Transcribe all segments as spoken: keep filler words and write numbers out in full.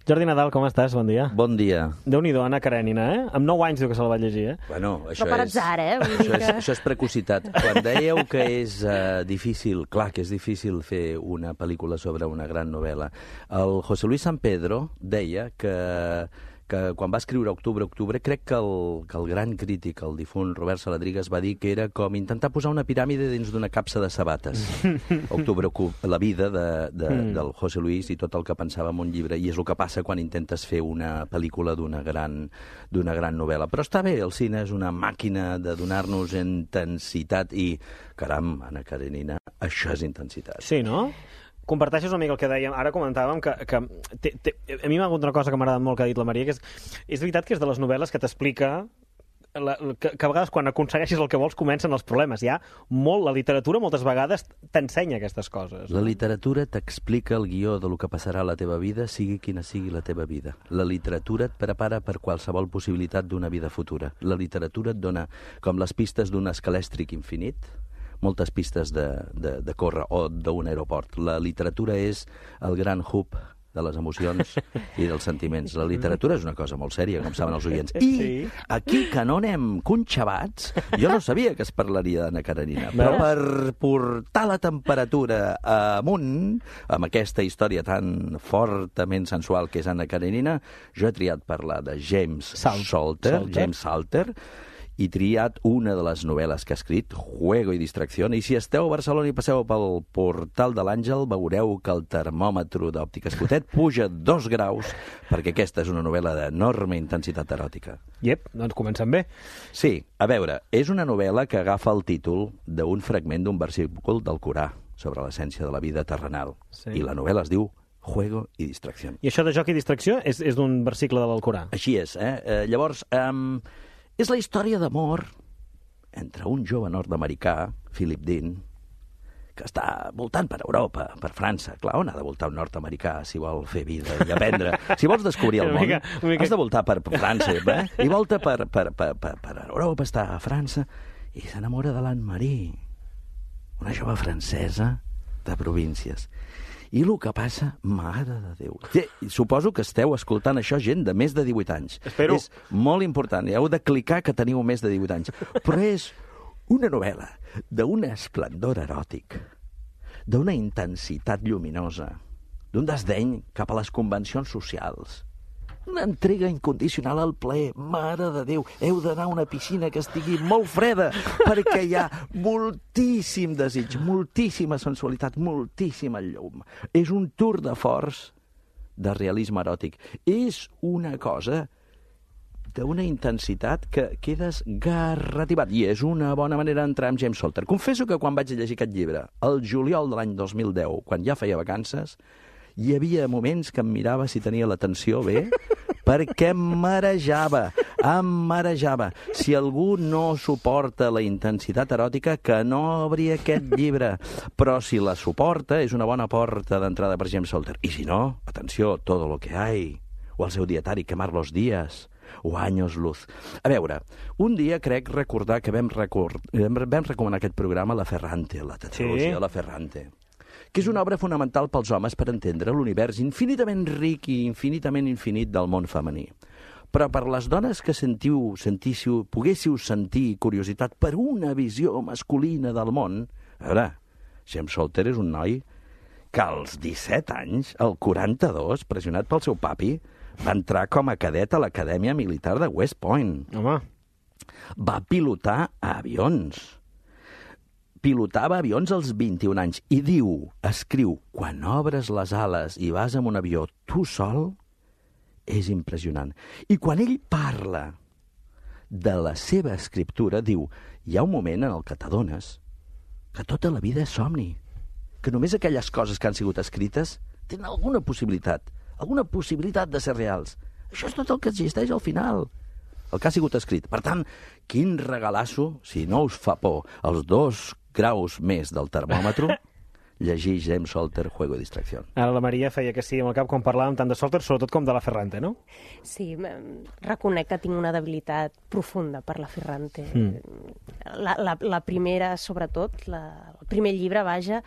Jordi Nadal, com estàs? Bon dia. Bon dia. Déu-n'hi-do, Anna Karenina, eh? Amb nou anys diu que se la va llegir, eh? Bueno, això Però per és... atzar, eh? Vull dir Això és, que... això és precocitat. Quan dèieu que és uh, difícil, clar que és difícil fer una pel·lícula sobre una gran novel·la. El José Luis San Pedro deia que, que quan va escriure Octubre, Octubre, crec que el, que el gran crític, el difunt Robert Saladrigas, va dir que era com intentar posar una piràmide dins d'una capsa de sabates. Octubre, la vida de, de, mm. del José Luis i tot el que pensava en un llibre. I és el que passa quan intentes fer una pel·lícula d'una gran, d'una gran novel·la. Però està bé, el cine és una màquina de donar-nos intensitat i, caram, Anna Karenina, això és intensitat. Sí, no? Comparteixes una mica el que dèiem, ara comentàvem que, que té, té, a mi m'ha hagut una cosa que m'ha agradat molt que ha dit la Maria, que és, és veritat que és de les novel·les que t'explica la, que, que a vegades quan aconsegueixes el que vols comencen els problemes. Hi ha molt, la literatura moltes vegades t'ensenya aquestes coses. La literatura t'explica el guió de lo que passarà a la teva vida, sigui quina sigui la teva vida. La literatura et prepara per qualsevol possibilitat d'una vida futura. La literatura et dona com les pistes d'un escalèstric infinit, moltes pistes de, de, de córrer o d'un aeroport. La literatura és el gran hub de les emocions i dels sentiments. La literatura és una cosa molt sèria, com saben els oients. I aquí, que no anem conxabats, jo no sabia que es parlaria d'Anna Karenina, però per portar la temperatura amunt, amb aquesta història tan fortament sensual que és Anna Karenina, jo he triat parlar de James Salter, James Salter, i triat una de les novel·les que ha escrit, Juego y Distracción, i si esteu a Barcelona i passeu pel portal de l'Àngel, veureu que el termòmetre d'Òptiques Cotet puja dos graus, perquè aquesta és una novel·la d'enorme intensitat eròtica. Iep, doncs comencem bé. Sí, a veure, és una novel·la que agafa el títol d'un fragment d'un versícul del Corà sobre l'essència de la vida terrenal. Sí. I la novel·la es diu Juego y Distracción. I això de joc i distracció és, és d'un versicle de l'Alcorà? Així és, eh? eh llavors... Eh, és la història d'amor entre un jove nord-americà, Philip Dean, que està voltant per Europa, per França. Clar, on ha de voltar un nord-americà si vol fer vida i aprendre? Si vols descobrir el món, mica, mica... has de voltar per França, eh? I volta per, per, per, per, per Europa, està a França, i s'enamora de l'Anne-Marie, una jove francesa de províncies. I el que passa, mare de Déu... Sí, suposo que esteu escoltant això gent de més de divuit anys. Espero. És molt important, heu de clicar que teniu més de divuit anys. Però és una novel·la d'un esplendor eròtic, d'una intensitat lluminosa, d'un desdeny cap a les convencions socials, una entrega incondicional al plaer. Mare de Déu, heu d'anar a una piscina que estigui molt freda, perquè hi ha moltíssim desig, moltíssima sensualitat, moltíssima llum. És un tour de force de realisme eròtic. És una cosa d'una intensitat que quedes garrativat. I és una bona manera d'entrar amb James Salter. Confesso que quan vaig llegir aquest llibre, el juliol de l'any dos mil deu, quan ja feia vacances, hi havia moments que em mirava si tenia l'atenció bé, perquè em marejava, em marejava. Si algú no suporta la intensitat eròtica, que no obri aquest llibre. Però si la suporta, és una bona porta d'entrada per James Salter. I si no, atenció, Todo lo que hay, o el seu dietari, Quemar los días, o Años luz. A veure, un dia crec recordar que vam, record... vam recomanar aquest programa a la Ferrante, la tetralogia de la Ferrante, que és una obra fonamental pels homes per entendre l'univers infinitament ric i infinitament infinit del món femení. Però per les dones que sentiu, sentíssiu, poguéssiu sentir curiositat per una visió masculina del món, a veure, James Salter és un noi que als disset anys, al quaranta-dos, pressionat pel seu papi, va entrar com a cadet a l'Acadèmia Militar de West Point. Home. Va pilotar avions. Pilotava avions als vint-i-un anys i diu, escriu, quan obres les ales i vas en un avió tu sol, és impressionant. I quan ell parla de la seva escriptura, diu, hi ha un moment en el que t'adones que tota la vida és somni, que només aquelles coses que han sigut escrites tenen alguna possibilitat, alguna possibilitat de ser reals. Això és tot el que existeix al final, el que ha sigut escrit. Per tant, quin regalasso, si no us fa por els dos graus més del termòmetre, llegir James Salter, Juego y Distracción. Ara la Maria feia que sí amb el cap quan parlàvem tant de Salter, sobretot com de la Ferrante, no? Sí, m- reconec que tinc una debilitat profunda per la Ferrante. Mm. La, la, la primera, sobretot, la, el primer llibre, vaja,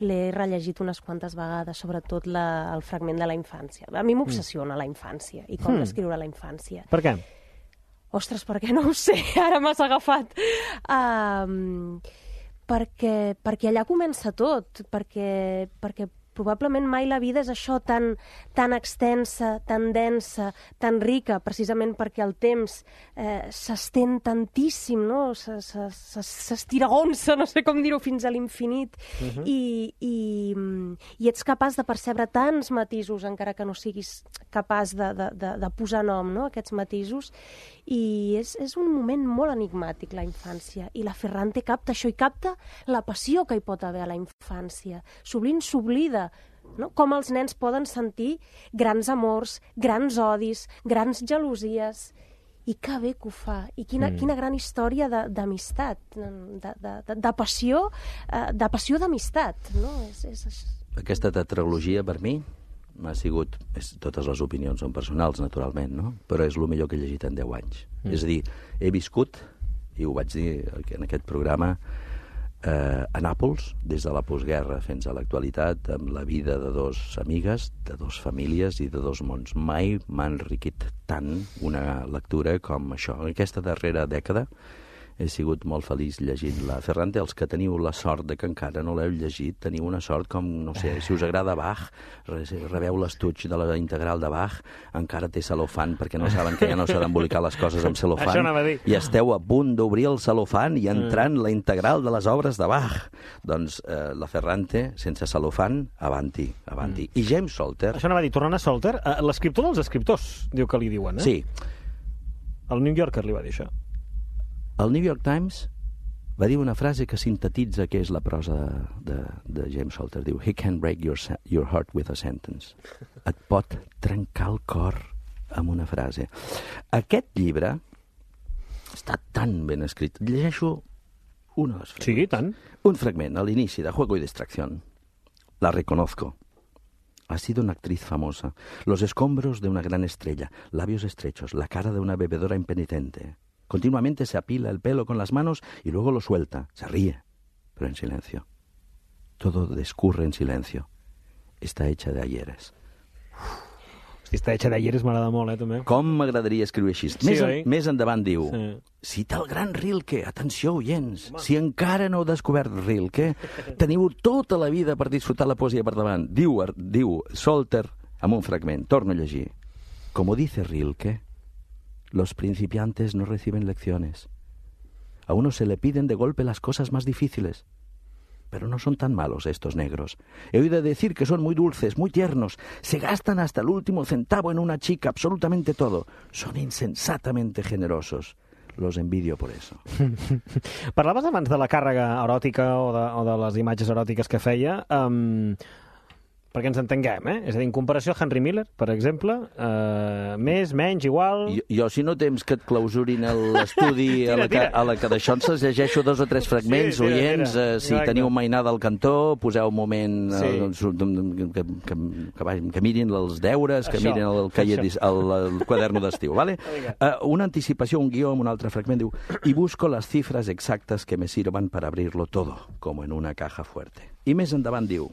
l'he rellegit unes quantes vegades, sobretot la, el fragment de la infància. A mi m'obsessiona la infància i com Mm. descriure la infància. Per què? Ostres, per què no ho sé? Ara m'has agafat. Um, perquè, perquè allà comença tot, perquè, perquè probablement mai la vida és això tan, tan extensa, tan densa, tan rica, precisament perquè el temps eh, s'estén tantíssim, no? S'estiragonsa, no sé com dir-ho, fins a l'infinit, uh-huh. I, i, i ets capaç de percebre tants matisos, encara que no siguis capaç de, de, de, de posar nom, no?, a aquests matisos, i és, és un moment molt enigmàtic, la infància, i la Ferrante capta això, i capta la passió que hi pot haver a la infància. Sovint s'oblida, no?, com els nens poden sentir grans amors, grans odis, grans gelosies, i que bé que ho fa, i quina, mm. quina gran història d'amistat, de, de, de, de, de passió, de passió d'amistat, no? És, és, és... Aquesta tetralogia, per mi, m'ha sigut... És, totes les opinions són personals, naturalment, no? Però és el millor que he llegit en deu anys. Mm. És a dir, he viscut, i ho vaig dir en aquest programa, eh, a Nàpols, des de la postguerra fins a l'actualitat, amb la vida de dos amigues, de dos famílies i de dos mons. Mai m'ha enriquit tant una lectura com això. En aquesta darrera dècada he sigut molt feliç llegint la Ferrante. Els que teniu la sort de que encara no l'heu llegit, teniu una sort com, no sé, si us agrada Bach, rebeu l'estuig de la integral de Bach, encara té celofan, perquè no saben que ja no s'ha d'embolicar les coses amb celofan. Això anava a dir. I esteu a punt d'obrir el celofan i entrant mm. la integral de les obres de Bach. Doncs eh, la Ferrante, sense celofan, avanti, avanti. Mm. I James Salter... Això anava a dir, tornant a Salter, eh, l'escriptor dels escriptors, diu que li diuen, eh? Sí. El New Yorker li va dir això. El New York Times va dir una frase que sintetitza què és la prosa de, de James Salter. Diu, he can break your, your heart with a sentence. Et pot trencar el cor amb una frase. Aquest llibre està tan ben escrit. Llegeixo un dels fragments. Sí, tant. Un fragment, a l'inici de Juego y Distracción. La reconozco. Ha sido una actriz famosa. Los escombros de una gran estrella, labios estrechos, la cara de una bebedora impenitente. Continuamente se apila el pelo con las manos y luego lo suelta. Se ríe, pero en silencio. Todo discurre en silencio. Está hecha de ayeres. Hosti, està hecha d'ayeres m'agrada molt, eh, també. Com m'agradaria escriure així. Sí, més, oi? en, més endavant diu, Sí. cita el gran Rilke. Atenció, oients, Home. si encara no heu descobert Rilke, teniu tota la vida per disfrutar la poesia per davant. Diu, diu Salter, amb un fragment, torno a llegir. Como dice Rilke, los principiantes no reciben lecciones. A uno se le piden de golpe las cosas más difíciles. Pero no son tan malos estos negros. He oído decir que son muy dulces, muy tiernos. Se gastan hasta el último centavo en una chica, absolutamente todo. Son insensatamente generosos. Los envidio por eso. Parlaves abans de la càrrega eròtica o de, o de les imatges eròtiques que feia. Um, perquè ens entenguem, eh? És a dir, en comparació a Henry Miller, per exemple, uh, més, menys, igual... Jo, jo, si no temps que et clausurin a l'estudi a, la que, a la que d'això ens llegeixo dos o tres fragments, sí, tira, oients, tira. Uh, si Exacte. Teniu mainada al cantó, poseu un moment sí. uh, que, que, que, vagin, que mirin els deures, que això, mirin el, cahier, el, el quaderno d'estiu, ¿vale? Uh, una anticipació, un guió amb un altre fragment, diu, y busco las cifras exactas que me sirvan para abrirlo todo, como en una caja fuerte. I més endavant diu,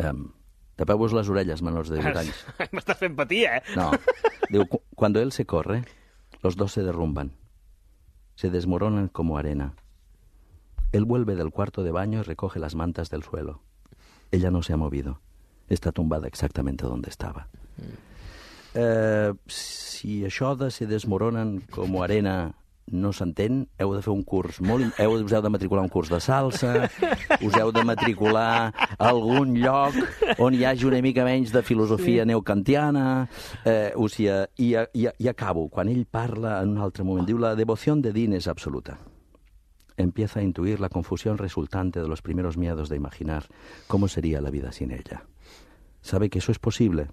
Um, tapeu-vos les orelles, menors de divuit años. M'estàs fent patir, eh? No. Diu, cuando él se corre, los dos se derrumban. Se desmoronan como arena. Él vuelve del cuarto de baño y recoge las mantas del suelo. Ella no se ha movido. Está tumbada exactamente donde estaba. Mm. Uh, si això de se desmoronen com arena no s'entén, heu de fer un curs molt... Heu, us heu de matricular un curs de salsa, us heu de matricular a algun lloc on hi hagi una mica menys de filosofia sí. neocantiana. Eh, o sigui, i, i, i acabo. Quan ell parla en un altre moment, diu, la devoció de Dean es absoluta. Empieza a intuir la confusión resultante de los primeros miedos de imaginar cómo sería la vida sin ella. Sabe que eso es posible,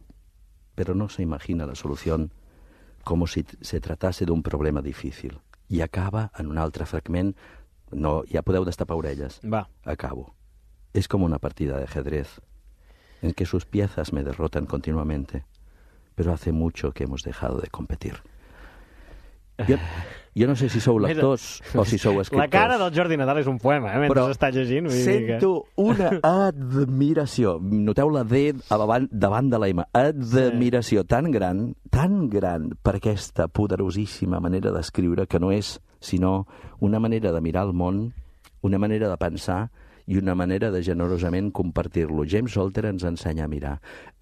pero no se imagina la solución como si se tratase de un problema difícil. I acaba en un altre fragment, no, ja podeu destapar orelles. Va. Acabo. es como una partida de ajedrez, en que sus piezas me derrotan continuamente, pero hace mucho que hemos dejado de competir. Jo, jo no sé si sou lectors o si sou escriptors. La cara del Jordi Nadal és un poema, eh, mentre però està llegint. Vull sento dir que... una admiració. Noteu la D davant, davant de la M. Admiració sí. tan gran, tan gran per aquesta poderosíssima manera d'escriure que no és sinó una manera de mirar el món, una manera de pensar i una manera de generosament compartir-lo. James Salter ens ensenya a mirar.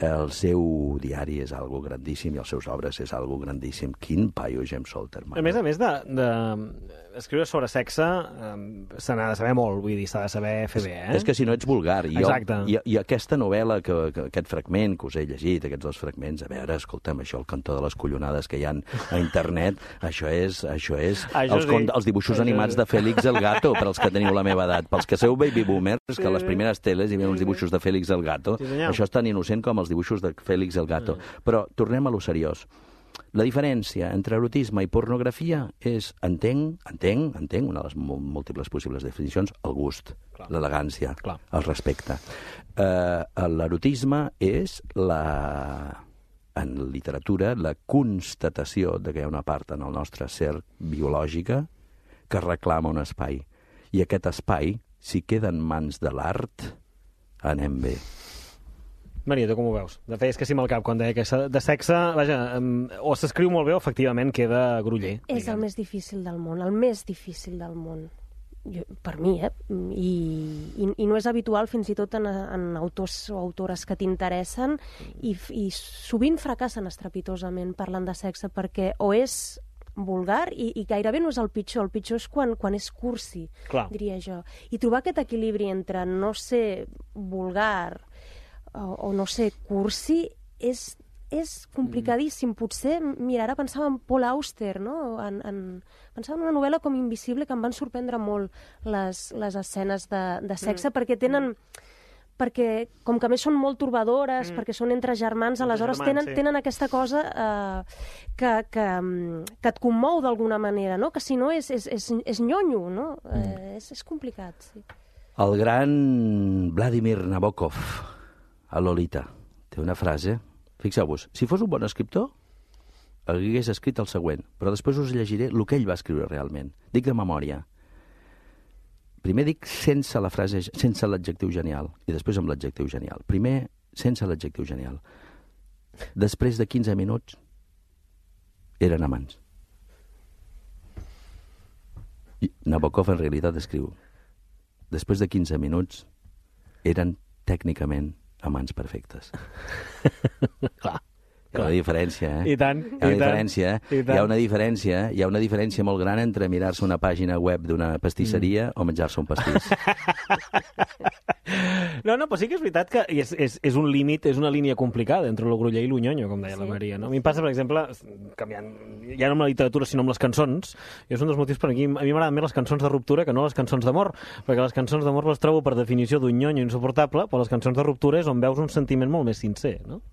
El seu diari és algo grandíssim i els seus obres és algo grandíssim. Quin paio, James Salter. A més a més de, de escriure sobre sexe, eh, se n'ha de saber molt, vull dir, s'ha de saber fer bé, eh? És que si no ets vulgar. I, Exacte. Jo, i, I aquesta novel·la, que, que, aquest fragment que us he llegit, aquests dos fragments, a veure, escolta'm, això, el cantó de les collonades que hi ha a internet, això és, això és això els, sí. cont, els dibuixos això animats sí. de Félix el Gato, per als que teniu la meva edat. Pels que sou baby boomers, sí. que a les primeres teles hi havia uns dibuixos de Félix el Gato, sí, això és tan innocent com els dibuixos de Félix el Gato. Sí. Però tornem a lo seriós. La diferència entre erotisme i pornografia és, entenc, entenc, entenc, una de les múltiples possibles definicions, el gust, l'elegància, el respecte. Uh, l'erotisme és la... en literatura, la constatació de que hi ha una part en el nostre ser biològica que reclama un espai. I aquest espai, si queda en mans de l'art, anem bé. Maria, tu com ho veus? De fet, és que sí me'l cap quan deia que de sexe, vaja, o s'escriu molt bé o efectivament queda groller. És diguem. El més difícil del món, el més difícil del món. Jo, per mi, eh? I, i, I no és habitual fins i tot en, en autors o autores que t'interessen i, i sovint fracassen estrepitosament parlant de sexe perquè o és vulgar i, i gairebé no és el pitjor, el pitjor és quan, quan és cursi, Clar. diria jo. I trobar aquest equilibri entre no ser vulgar o, o no sé, cursi, és, és complicadíssim. Potser, mira, ara pensava en Paul Auster, no? En, en, pensava en una novel·la com Invisible, que em van sorprendre molt les, les escenes de, de sexe, mm. perquè tenen... perquè, com que a més són molt torbadores, mm. perquè són entre germans, aleshores germans, tenen, sí. tenen aquesta cosa eh, que, que, que et commou d'alguna manera, no? Que si no és, és, és, és nyonyo, no? Mm. Eh, és, és complicat, sí. El gran Vladimir Nabokov, a Lolita, té una frase, fixeu-vos, si fos un bon escriptor, hagués escrit el següent, però després us llegiré el que ell va escriure realment. Dic de memòria. Primer dic sense la frase, sense l'adjectiu genial, i després amb l'adjectiu genial. Primer, sense l'adjectiu genial. Després de quinze minuts, eren amants. I Nabokov en realitat escriu, després de quinze minuts, eren tècnicament amants perfectes. Clar. Hi ha una diferència, eh? I tant, hi ha una i diferència, eh? tant. Hi ha una diferència, hi ha una diferència molt gran entre mirar-se una pàgina web d'una pastisseria mm. o menjar-se un pastís. No, no, però sí que és veritat que és, és, és un límit, és una línia complicada entre lo gruller i lo nyonyo, com deia sí. la Maria, no? A mi em passa, per exemple, canviant, ja no amb la literatura, sinó amb les cançons, i és un dels motius per aquí, a mi m'agraden més les cançons de ruptura que no les cançons d'amor, perquè les cançons d'amor les trobo per definició d'un nyonyo insuportable, però les cançons de ruptura és on veus un sentiment molt més sincer, no?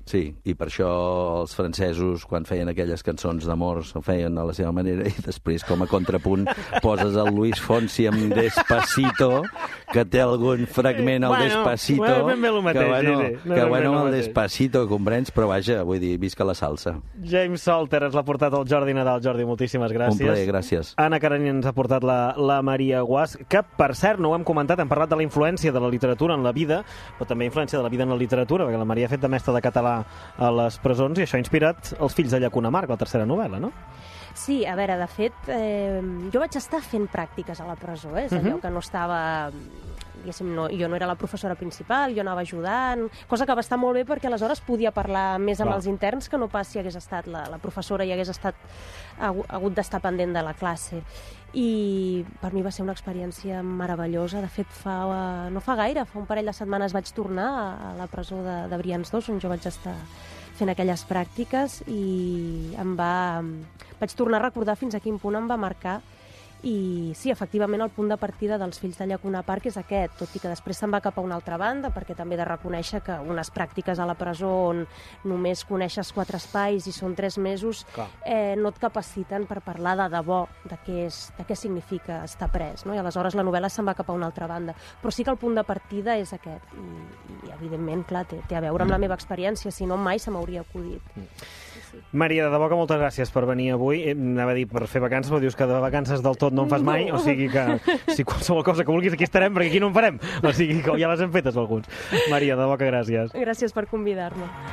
Sí, i per això els francesos, quan feien aquelles cançons d'amor, ho feien a la seva manera, i després, com a contrapunt, poses el Luis Fonsi amb Despacito, que té algun fragment al bueno, Despacito, bueno, ben bé el mateix, que bueno, sí, sí. No, que ben bueno bé el Despacito, comprens? Però vaja, vull dir, visca la salsa. James Salter ens l'ha portat el Jordi Nadal. Jordi, moltíssimes gràcies. Un plaer, gràcies. Anna Karenina ens ha portat la, la Maria Guas, que, per cert, no ho hem comentat, hem parlat de la influència de la literatura en la vida, però també influència de la vida en la literatura, perquè la Maria ha fet de mestra de català a les presons i això ha inspirat Els fills de Llacuna Marc, la tercera novel·la, no? Sí, a veure, de fet, eh, jo vaig estar fent pràctiques a la presó, eh? És allò uh-huh. que no estava... No, jo no era la professora principal, jo anava ajudant, cosa que va estar molt bé perquè aleshores podia parlar més amb Clar. els interns que no pas si hagués estat la, la professora i hagués estat hagut d'estar pendent de la classe. I per mi va ser una experiència meravellosa. De fet, fa, no fa gaire, fa un parell de setmanes vaig tornar a la presó de, de Brians dos, on jo vaig estar fent aquelles pràctiques i em va... vaig tornar a recordar fins a quin punt em va marcar I sí, efectivament, el punt de partida dels fills de Llacuna Park és aquest, tot i que després se'n va cap a una altra banda, perquè també he de reconèixer que unes pràctiques a la presó on només coneixes quatre espais i són tres mesos, eh, no et capaciten per parlar de debò, de què, és, de què significa estar pres, no? I aleshores la novel·la se'n va cap a una altra banda. Però sí que el punt de partida és aquest, i, i evidentment, clar, té, té a veure amb la meva experiència, si no mai se m'hauria acudit. Sí, sí. Maria, de debò que moltes gràcies per venir avui. Eh, anava a dir per fer vacances, però dius que de vacances del tot no en fas mai, o sigui que si qualsevol cosa que vulguis aquí estarem, perquè aquí no en farem. O sigui que ja les hem fetes alguns. Maria, de debò que gràcies. Gràcies per convidar-me.